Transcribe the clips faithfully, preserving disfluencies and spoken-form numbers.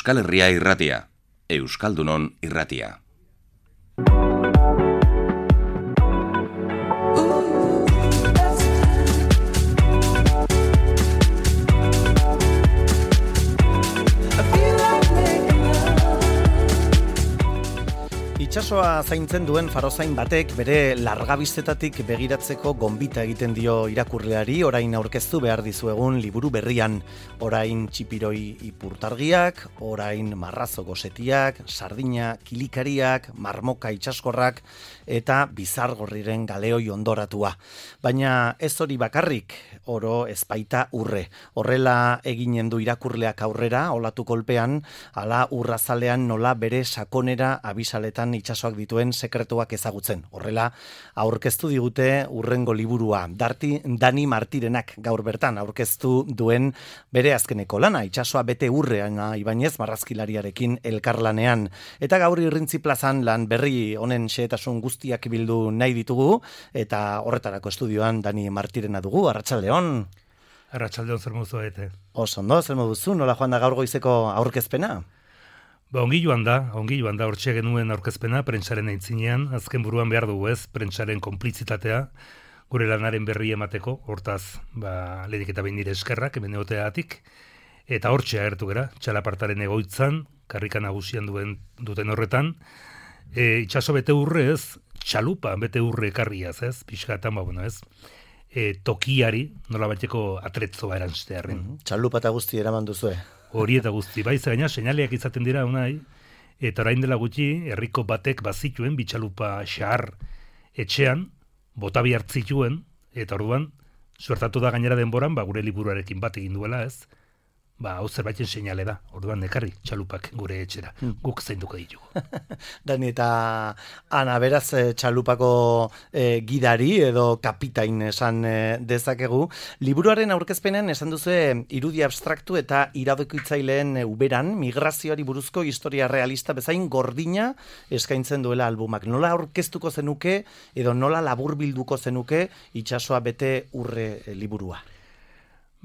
Euskal Herria irratia, Euskaldunon irratia. Itsasoa zaintzen duen farozain batek bere largabiztetatik begiratzeko gonbita egiten dio irakurleari, orain aurkeztu behar dizuegun liburu berrian. Orain txipiroi ipurtargiak, orain marrazo gosetiak, sardina kilikariak, marmoka itsaskorrak eta bizargorriren galeoi ondoratua. Baina ez hori bakarrik, oro ezpaita urre. Horrela eginen du irakurleak aurrera, olatu kolpean, ala urrazalean nola bere sakonera abisaletan itsasoak dituen sekretuak ezagutzen. Horrela, aurkeztu digute urrengo liburua. Darti, Dani Martirenak gaur bertan aurkeztu duen bere azkeneko lana, itsasoa bete urrean Ibañez marrazkilariarekin elkarlanean. Eta gaur Irrintzi plazan lan berri honen xehetasun guztiak bildu nahi ditugu, eta horretarako estudioan Dani Martirena dugu. Arratsaldeon. Arratsaldeon, zer modu zaete? Oso ondo, zer moduzu? Nola joan da gaur goizeko aurkezpena? Ba, ongi joan da, ongi joan da, hortxe genuen aurkezpena, prentsaren aitzinean, azken buruan behar dugu ez, prentsaren konplizitatea, gure lanaren berri emateko, hortaz, ba, lehenik eta behin nire eskerrak, hemen egoteagatik, eta hortxe agertu gera, txalapartaren egoitzan, karrika nagusian duen duten horretan, e, itsaso bete urre ez, txalupa bete urre ekarriaz ez, pixkatan, ba, bueno ez, e, tokiari, nola bateko atretzoa erantztearen. Mm-hmm. Txalupa eta guzti eraman duzue. Hori eta guzti, bai, gaina seinaleak izaten dira unai, eta orain dela gutxi, herriko batek bazituen bitxalupa xahar etxean, botabi hartzituen, eta orduan, suertatu da gainera denboran, ba, gure liburuarekin bat egin duela ez, ba, hau zerbaiten seinale da, orduan nekarri txalupak gure etxera, guk zainduko ditugu. Dani, eta ana, beraz, txalupako e, gidari edo kapitain esan e, dezakegu. Liburuaren aurkezpenen esan duzu irudi abstraktu eta iradokitzaileen uberan migrazioari buruzko historia realista bezain gordina eskaintzen duela albumak. Nola aurkeztuko zenuke edo nola laburbilduko zenuke itsasoa bete urre e, liburua?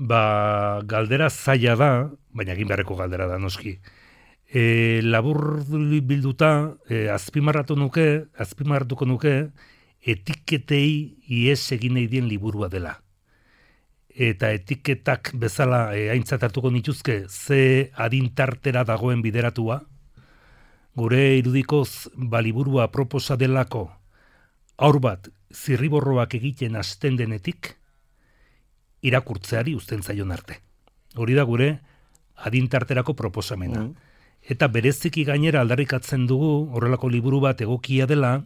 Ba, galdera zaila da, baina egin beharreko galdera da, noski. E, labur bilduta, e, azpimarratu nuke, azpimarratuko nuke, etiketei ies egin nahi dien liburua dela. Eta etiketak bezala e, aintzat hartuko nituzke, ze adintartera dagoen bideratua, gure irudikoz ba liburua proposa delako, aur bat zirriborroak egiten hasten denetik, irakurtzeari uzten zaion arte. Hori da gure adintarterako proposamena. Mm. Eta bereziki gainera aldarrikatzen dugu, horrelako liburu bat egokia dela,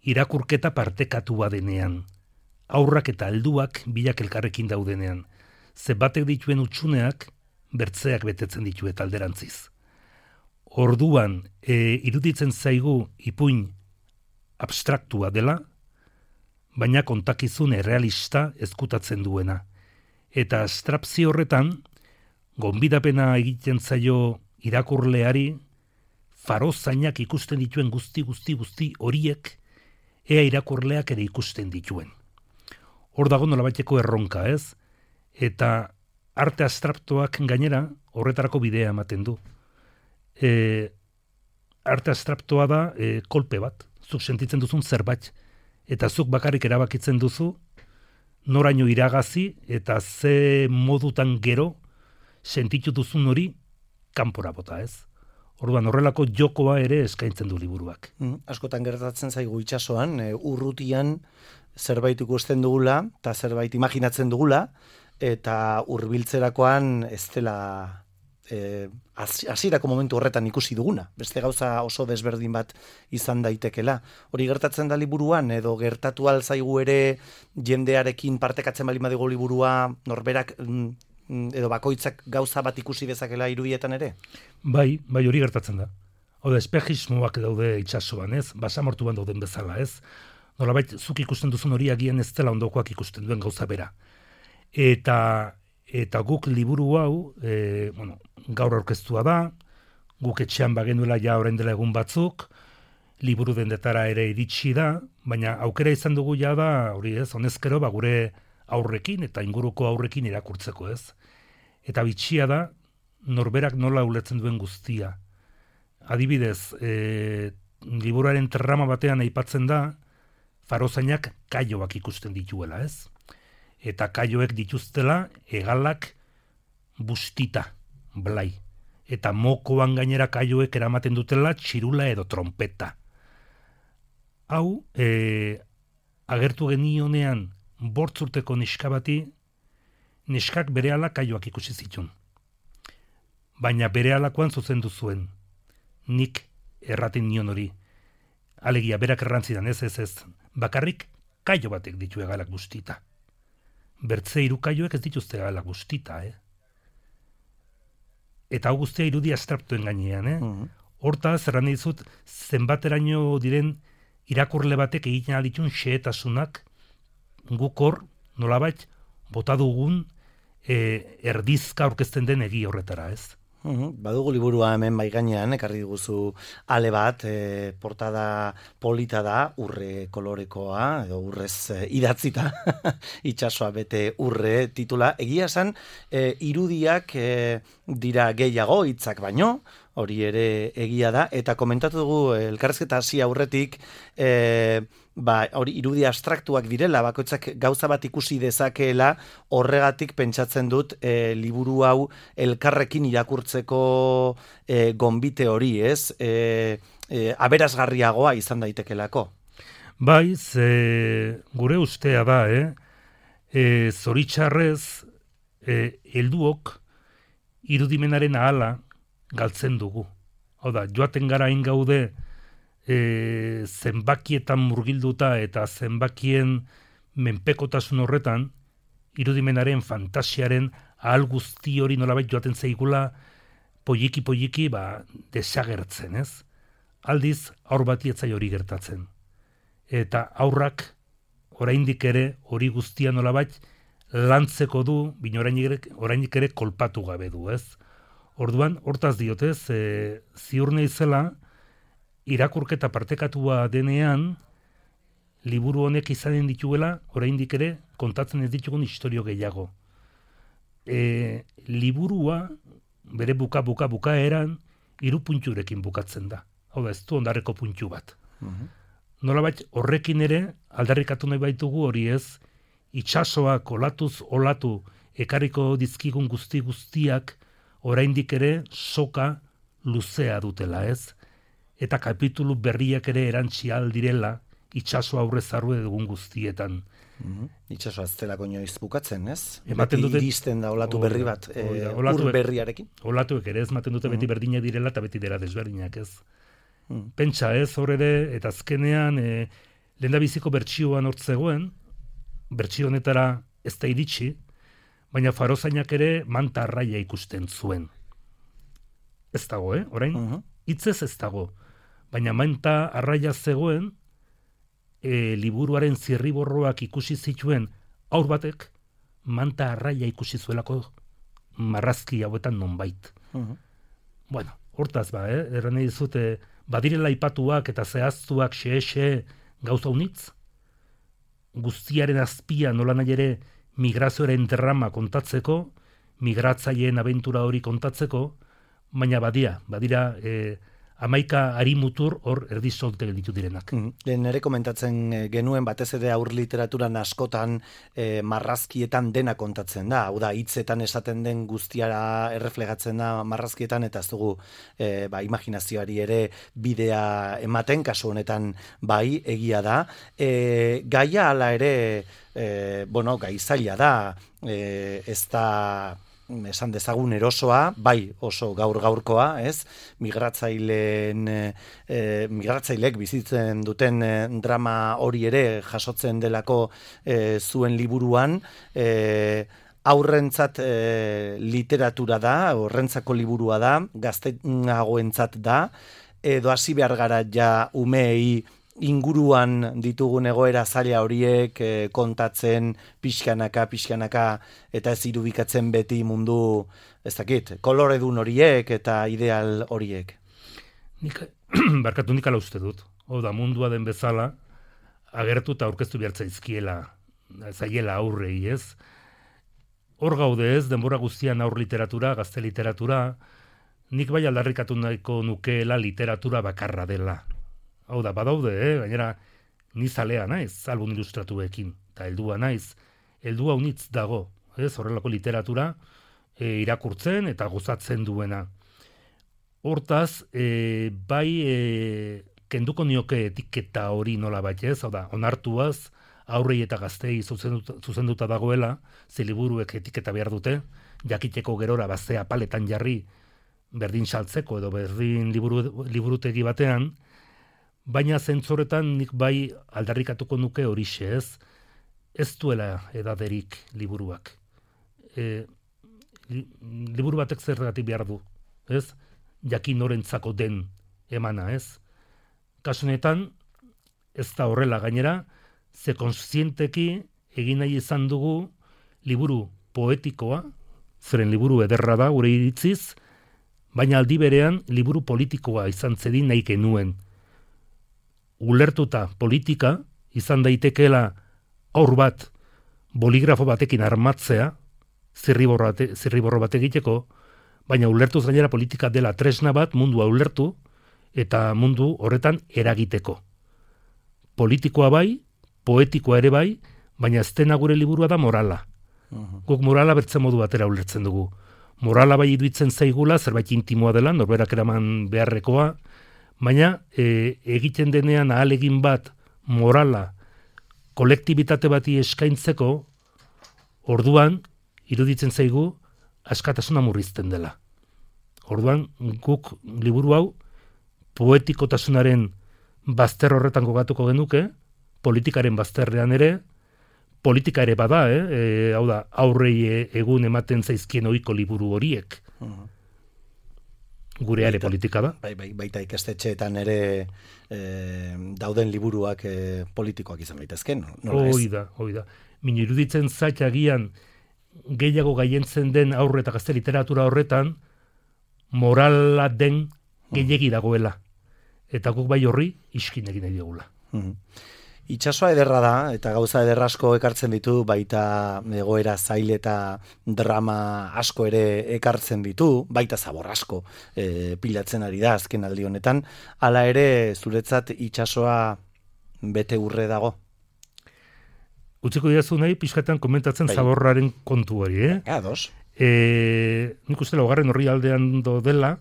irakurketa partekatua denean. Aurrak eta helduak bilak elkarrekin daudenean. Ze batek dituen utxuneak, bertzeak betetzen ditu eta alderantziz. Orduan, e, iruditzen zaigu ipuin abstraktua dela, baina kontakizun errealista ezkutatzen duena. Eta abstrakzio horretan, gonbidapena egiten zaio irakurleari, farozainak ikusten dituen guzti, guzti, guzti horiek, ea irakurleak ere ikusten dituen. Hor dago nolabaiteko erronka, ez? Eta arte abstraktuak gainera horretarako bidea ematen du. E, arte abstraktua da e, kolpe bat, zuk sentitzen duzun zerbait, eta zuk bakarrik erabakitzen duzu, noraino iragazi eta ze modutan gero sentitu duzun hori kanpora bota, ez? Orduan horrelako jokoa ere eskaintzen du liburuak. Mm, askotan gertatzen zaigu itsasoan, e, urrutian zerbait ikusten dugula, eta zerbait imaginatzen dugula, eta hurbiltzerakoan ez dela E, hasierako momentu horretan ikusi duguna. Beste gauza oso desberdin bat izan daitekela. Hori gertatzen da liburuan, edo gertatu alzaigu ere jendearekin partekatzen bali madigo liburua, norberak edo bakoitzak gauza bat ikusi dezakela irudietan ere? Bai, bai hori gertatzen da. Hau da, espejismoak daude itsasoan, ez? Basamortuan dauden bezala, ez? Nolabait, zuk ikusten duzun hori agian ez dela ondokoak ikusten duen gauza bera. Eta Eta guk liburu hau, e, bueno, gaur aurkeztua da, guk etxean bagenuela ja orain dela egun batzuk, liburu dendetara ere iritsi da, baina aukera izan dugu ja da, hori ez, honezkero, ba, gure aurrekin eta inguruko aurrekin irakurtzeko ez. Eta bitxia da, norberak nola ulertzen duen guztia. Adibidez, e, liburuaren trama batean aipatzen da, farozainak kaioak ikusten dituela, ez? Eta kaioek dituztela hegalak bustita, blai. Eta mokoan gainera kaioek eramaten dutela txirula edo trompeta. Hau, e, agertu genionean bortzurteko neska bati, neskak berehala kaioak ikusi zitun. Baina berehalakoan zuzendu zuen. Nik erraten nion hori. Alegia, berak errantzidan, ez, ez, ez. Bakarrik kaio batek ditu hegalak bustita. Bertze hiru kaioek ez dituzte hegalak bustita, eh? Eta hau guztia irudi abstraktuen gainean, eh? Uh-huh. Hortaz, erran dizut, zenbateraino diren irakurle batek egiten alitun xehetasunak guk hor, nolabait, bota dugun e, erdizka aurkezten den egi horretara, ez? Uhum, badugu liburua hemen bai gainean, ekarri diguzu ale bat, e, portada polita da, urre kolorekoa, edo urrez e, idatzita, itsasoa bete urre titula. Egia esan, e, irudiak e, dira gehiago hitzak baino, hori ere egia da, eta komentatu dugu elkarrizketa hasi aurretik, e, ba, hori irudi abstraktuak direla, bakoitzak gauza bat ikusi dezakeela, horregatik pentsatzen dut e, liburu hau elkarrekin irakurtzeko e, gonbite hori, ez? E, e, aberasgarriagoa izan daitekelako. Bai, ze gure ustea da, eh? E, zoritxarrez, e, helduok irudimenaren ahala galtzen dugu. Hau da, joaten gara hain gaude e, zenbakietan murgilduta eta zenbakien menpekotasun horretan, irudimenaren, fantasiaren ahal guzti hori nolabait joaten zeigula poliki-poliki ba, desagertzen, ez? Aldiz, aur bati etzai hori gertatzen. Eta aurrak oraindik ere hori guztia nolabait lantzeko du, bino orainik ere kolpatu gabe du, ez? Orduan, hortaz diotez, e, ziur naizela, irakurketa partekatua denean, liburu honek izanen dituela, oraindik ere, kontatzen ez ditugun istorio gehiago. E, liburua, bere buka-buka bukaeran, hiru punturekin bukatzen da. Hau da, ez du ondarreko puntu bat. Uh-huh. Nolabait, horrekin ere, aldarrikatu nahi baitugu hori ez, itsasoak olatuz olatu, ekarriko dizkigun guzti guztiak, oraindik ere soka luzea dutela, ez? Eta kapitulu berriak ere erantzi aldirela itsaso aurrez arru dugun guztietan. Mm-hmm. Itsasoa ez delako inoiz bukatzen, ez? Ematen dute iristen da olatu berri bat, e, olatu ur berriarekin. Olatuek ere ez ematen dute beti berdinak direla eta beti dira desberdinak, ez? Mm. Pentsa ez, hor ere, eta azkenean e, lehendabiziko bertsioan hortzegoen, bertsio honetara ez da iritsi, baina farozainak ere manta arraia ikusten zuen. Ez dago, eh? Orain, uh-huh. Hitzez ez dago. Baina manta arraia zegoen, e, liburuaren zirriborroak ikusi zituen aur batek, manta arraia ikusi zuelako marrazki hauetan nonbait. Uh-huh. Bueno, hortaz ba, eh? Erran nahi dizute, badirela aipatuak eta zehaztuak xe-xe gauza unitz, guztiaren azpia nola nahi ere migrazioaren drama kontatzeko, migratzaileen abentura hori kontatzeko, baina badia, badira e, amaika arimutur hor erdizolte gelditu direnak. Mm. Nere komentatzen genuen batez ere aur literaturan askotan e, marrazkietan dena kontatzen da, hau da, hitzetan esaten den guztiara erreflegatzen da marrazkietan, eta ez dugu e, ba, imaginazioari ere bidea ematen, kasu honetan bai, egia da. E, gaia hala ere, e, bueno, gai zaila da, e, ez da esan dezagun erosoa, bai oso gaur gaurkoa, ez? Migratzaileen e, migratzailek bizitzen duten e, drama hori ere jasotzen delako e, zuen liburuan, e, aurrentzat e, literatura da, horrentzako liburua da, gazteagoentzat da, edo hasi behar gara ja umeei inguruan ditugun egoera zaila horiek e, kontatzen pixkanaka, pixkanaka, eta ez irudikatzen beti mundu, ez dakit, koloredun horiek eta ideal horiek. Nik, barkatu nik ala uste dut. Hau da, mundua den bezala, agertu eta aurkeztu behartza izkiela, zaiela aurrei, ez? hor gaude ez, denbora guztian aur literatura, gazte literatura, nik bai aldarrikatu nahiko nukeela literatura bakarra dela. Hau da, badaude, eh? Gainera, ni zalea naiz, album ilustratuekin, eta heldua naiz, heldua unitz dago, ez, horrelako literatura e, irakurtzen eta gozatzen duena. Hortaz, e, bai e, kenduko nioke etiketa hori nola bat ez, hau da, onartuaz, aurrei eta gaztei zuzenduta, zuzenduta dagoela, ze liburuek etiketa behar dute, jakiteko gerora bazea paletan jarri, berdin saltzeko edo berdin liburu, liburutegi batean, baina zentzoretan nik bai aldarrikatuko nuke horixe ez, ez duela edaderik liburuak. E, li, liburu batek zergatik behar du, ez? Jakin norentzako den emana, ez? Kasunetan, ez da horrela gainera, ze konsienteki egin nahi izan dugu liburu poetikoa, zeren liburu ederra da, gure iritziz, baina aldi berean liburu politikoa izan zedin nahi genuen. Ulertuta politika, izan daitekeela aur bat boligrafo batekin armatzea, zirriborro bate, zirriborro bat egiteko, baina ulertuz gainera politika dela tresna bat mundua ulertu eta mundu horretan eragiteko. Politikoa bai, poetikoa ere bai, baina ez dena gure liburua da morala. Uh-huh. Guk morala bertzen modu batera ulertzen dugu. Morala bai iduitzen zaigula, zerbait intimoa dela, norberak eraman beharrekoa, baina e, egiten denean ahalegin bat morala kolektibitate bati eskaintzeko, orduan, iruditzen zaigu, askatasuna murrizten dela. Orduan, guk liburu hau, poetikotasunaren bazter horretan gogatuko genuke, politikaren bazterrean ere, politika ere bada, eh? E, hau da, aurrei egun ematen zaizkien ohiko liburu horiek. Uh-huh. Gure ere politika da. Bai, bai, baita ikastetxeetan ere e, dauden liburuak e, politikoak izan daitezke, nola ez? Hoi da, hoi da. Min iruditzen zait agian gehiago gaientzen den aurre eta gazte literatura horretan morala den gehiegi dagoela. Eta guk bai horri iskin egin nahi diogula. Uh-huh. Itxasoa ederra da, eta gauza ederra asko ekartzen ditu, baita egoera zail eta drama asko ere ekartzen ditu, baita zabor asko e, pilatzen ari da azken aldi honetan. Hala ere, zuretzat itxasoa bete urre dago? Utziko diazu nahi, pixkatan komentatzen bai. Zaborraren kontu hori, eh? Ados. E, nik uste laugarren horri aldean do dela,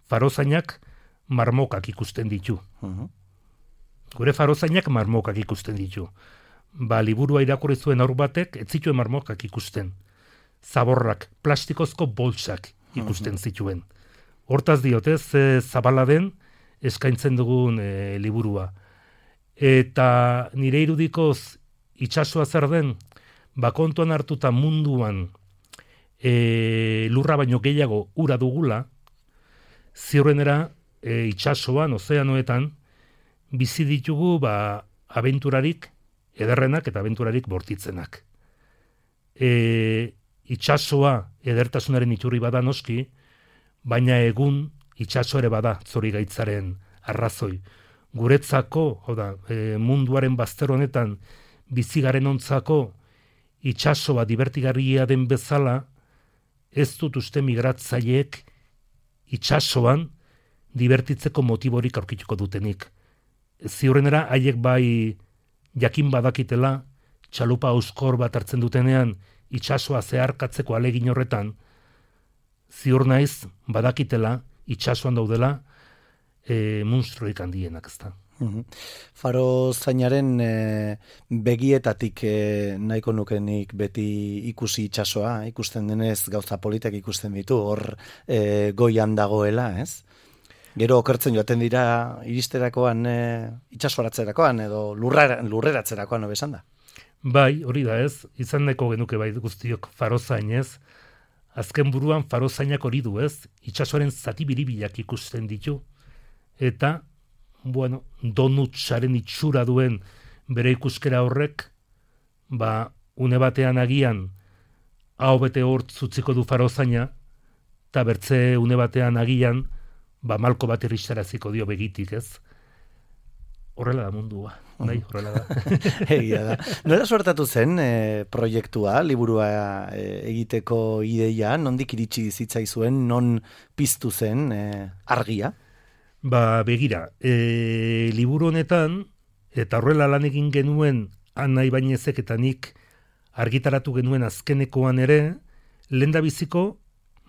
farozainak marmokak ikusten ditu. Uh-huh. Gure farozainak marmokak ikusten ditu. Ba, liburua irakurri zuen aur batek, ez zituen marmokak ikusten. Zaborrak, plastikozko boltsak ikusten zituen. Hortaz diotez, e, zabala den eskaintzen dugun e, liburua. Eta nire irudikoz itxasoa zer den, ba kontuan hartuta munduan e, lurra baino gehiago ura dugula, ziurrenera e, itxasoan, ozeanoetan, bizi ditugu ba, abenturarik ederrenak eta abenturarik bortitzenak. E, itxasoa edertasunaren iturri bada noski, baina egun itxaso ere bada zorigaitzaren arrazoi. Guretzako, hau da, e, munduaren bazter honetan bizigaren ontzako itxasoa divertigarria den bezala, ez dut uste migratzaileek itxasoan divertitzeko motiborik aurkituko dutenik. Ziurrenera, haiek bai jakin badakitela, txalupa euskor bat hartzen dutenean, itxasoa zeharkatzeko alegin horretan, ziur naiz badakitela, itxasoan daudela, e, monstruoik handienak, ezta. Uhum. Faro zainaren e, begietatik e, nahiko nukenik beti ikusi itxasoa, ikusten denez gauza politak ikusten ditu, hor e, goian dagoela, ez? Gero okertzen joaten dira iristerakoan e, itxasoratzerakoan edo lurra, lurreratzerakoan obesan da. Bai, hori da ez, izan nahiko genuke bai guztiok farozainez, azken buruan farozainak hori du ez, itxasoaren zati biribilak ikusten ditu, eta, bueno, donutsaren itxura duen bere ikuskera horrek, ba, une batean agian, hau bete hort zutziko du farozaina, eta bertze une batean agian, ba, malko bat irristaraziko dio begitik, ez? horrela da mundua. Bai, horrela da. Egia da. Nola suertatu zen e, proiektua, liburua e, egiteko ideia, nondik iritsi zitzaizuen, non piztu zen e, argia? Ba, begira, e, liburu honetan, eta horrela lan egin genuen Ana Ibañezek eta nik argitaratu genuen azkenekoan ere, lehendabiziko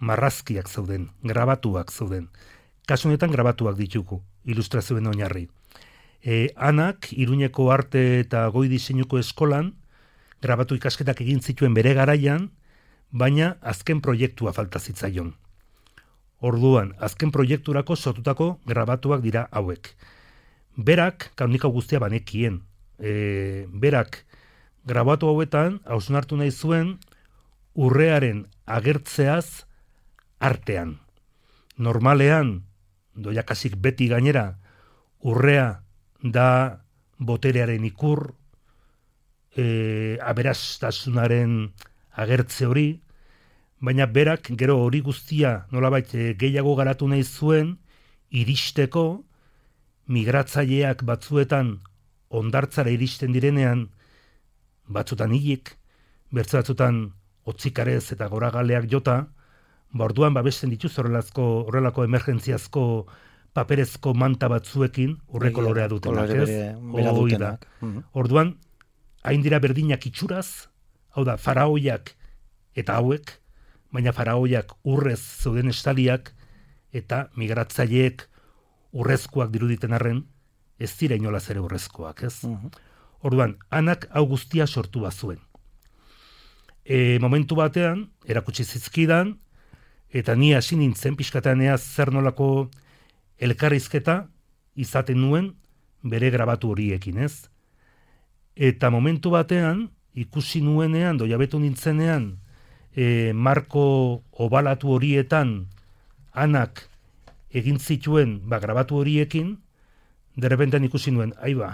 marrazkiak zauden, grabatuak zauden. Kasu honetan grabatuak ditugu, ilustrazioen oinarri. E, Anak, Iruñeko arte eta goi diseinuko eskolan, grabatu ikasketak egin zituen bere garaian, baina azken proiektua falta zitzaion. Orduan, azken proiekturako sortutako grabatuak dira hauek. Berak, kaunika guztia banekien, e, berak grabatu hauetan, hausnartu nahi zuen, urrearen agertzeaz artean. Normalean, doiakasik beti gainera, urrea da boterearen ikur, e, aberastasunaren agertze hori, baina berak gero hori guztia nolabait e, gehiago garatu nahi zuen, iristeko migratzaileak batzuetan ondartzara iristen direnean, batzutan hilik, bertze batzutan otzikarez eta goragaleak jota, ba orduan babesten dituz horrelako, horrelako emergentziazko paperezko manta batzuekin, urre kolorea dutenak, ez? Hoi da. Orduan, hain dira berdinak itxuraz, hau da, faraoiak eta hauek, baina faraoiak urrez zeuden estaliak, eta migratzaileek urrezkoak diruditen arren, ez dira inolaz ere urrezkoak, ez? Orduan, Anak hau guztia sortu bazuen. E, momentu batean, erakutsi zizkidan, eta ni hasi nintzen pixkataneaz zer nolako elkarrizketa izaten nuen bere grabatu horiekin, ez? Eta momentu batean, ikusi nuenean, doiabetu nintzenean, e, marko obalatu horietan Anak egin zituen ba, grabatu horiekin, derrepentan ikusi nuen, aiba,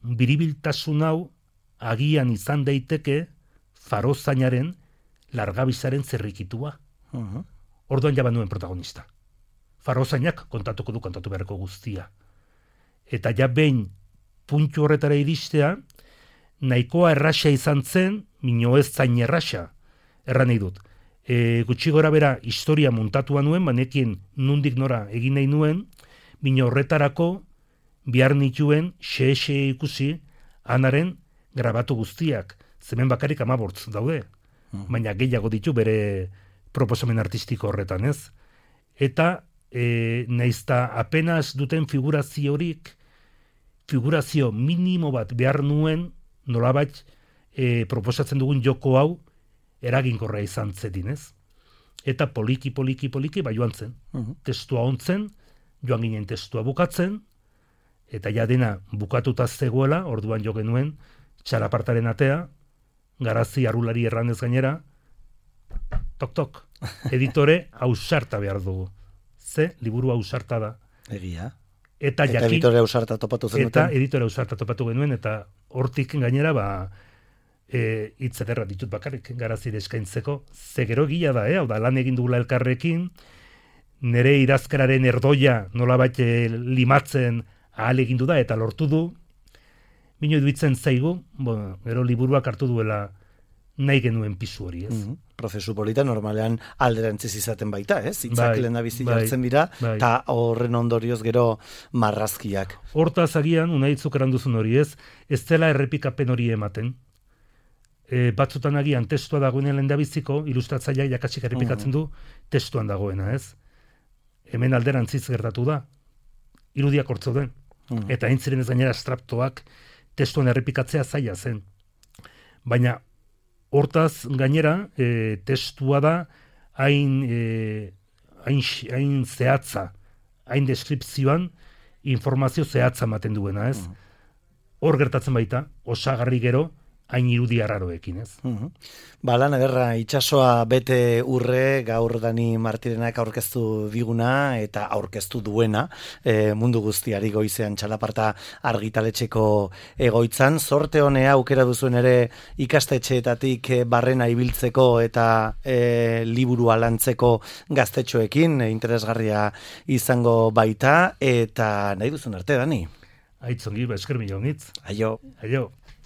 biribiltasun hau agian izan daiteke farozainaren largabizaren zerrikitua. Uh-huh. Orduan jaba nuen protagonista. Farozainak kontatuko du kontatu beharko guztia. Eta ja behin puntu horretara iristea, nahikoa erraxa izan zen, mino ez zain erraxa, erran nahi dut. E, gutxi gora bera historia muntatua nuen, banekin nundik nora egin nahi nuen, mino horretarako bihar nituen xe-xe ikusi Anaren grabatu guztiak, zemen bakarik amabortz daude, uh-huh. baina gehiago ditu bere proposamen artistiko horretan, ez? Eta e, naizta apenas duten figuraziorik, figurazio minimo bat behar nuen, nolabait e, proposatzen dugun joko hau eraginkorra izan zedin, ez? Eta poliki, poliki, poliki, ba joan zen. Uh-huh. Testua ontzen, joan ginen testua bukatzen, eta ja dena bukatuta zegoela, orduan jo genuen, txalapartaren atea, garazi arulari erranez gainera, tok-tok, editore ausarta behar dugu. Ze, liburu ausarta da. Egia. Eta, eta jaki, editore ausarta topatu zenuten. Eta editore ausarta topatu genuen, eta hortik gainera, ba, e, hitz ederra ditut bakarrik garazire eskaintzeko. Ze gero egia da, eh? Hau da, lan egin dugula elkarrekin, nire idazkararen erdoia nolabait limatzen ahal egin du da, eta lortu du, bino iduitzen zaigu, bueno, gero liburuak hartu duela nahi genuen pisu hori, ez? Mm-hmm. Prozesu polita normalean alderantziz izaten baita, ez? Itzak bai, lehendabizi bai, jartzen dira, eta bai. horren ondorioz gero marrazkiak. Hortaz agian, unaitzuk eranduzun hori, ez? Ez dela errepikapen hori ematen. E, batzutan agian testua dagoenean lehendabiziko, ilustratzaileak jakasik errepikatzen du, testuan dagoena, ez? Hemen alderantziz gertatu da, irudiak hortzo den. Mm-hmm. Eta hain ziren ez gainera estraptoak testuan errepikatzea zaila zen. Baina hortaz gainera e, testua da hain, e, hain, hain zehatza, hain deskripzioan informazio zehatza ematen duena, ez? Mm-hmm. Hor gertatzen baita, osagarri gero, hain irudi arraroekin, ez? Uh-huh. Ba, lan ederra, itsasoa bete urre, gaur Dani Martirenak aurkeztu diguna eta aurkeztu duena, e, mundu guztiari goizean txalaparta argitaletxeko egoitzan. Zorte honea aukera duzuen ere ikastetxeetatik barrena ibiltzeko eta e, liburua lantzeko gaztetxoekin, e, interesgarria izango baita, eta nahi duzun arte, Dani? Aitzongi, ba, esker milionitz. Aio. Aio.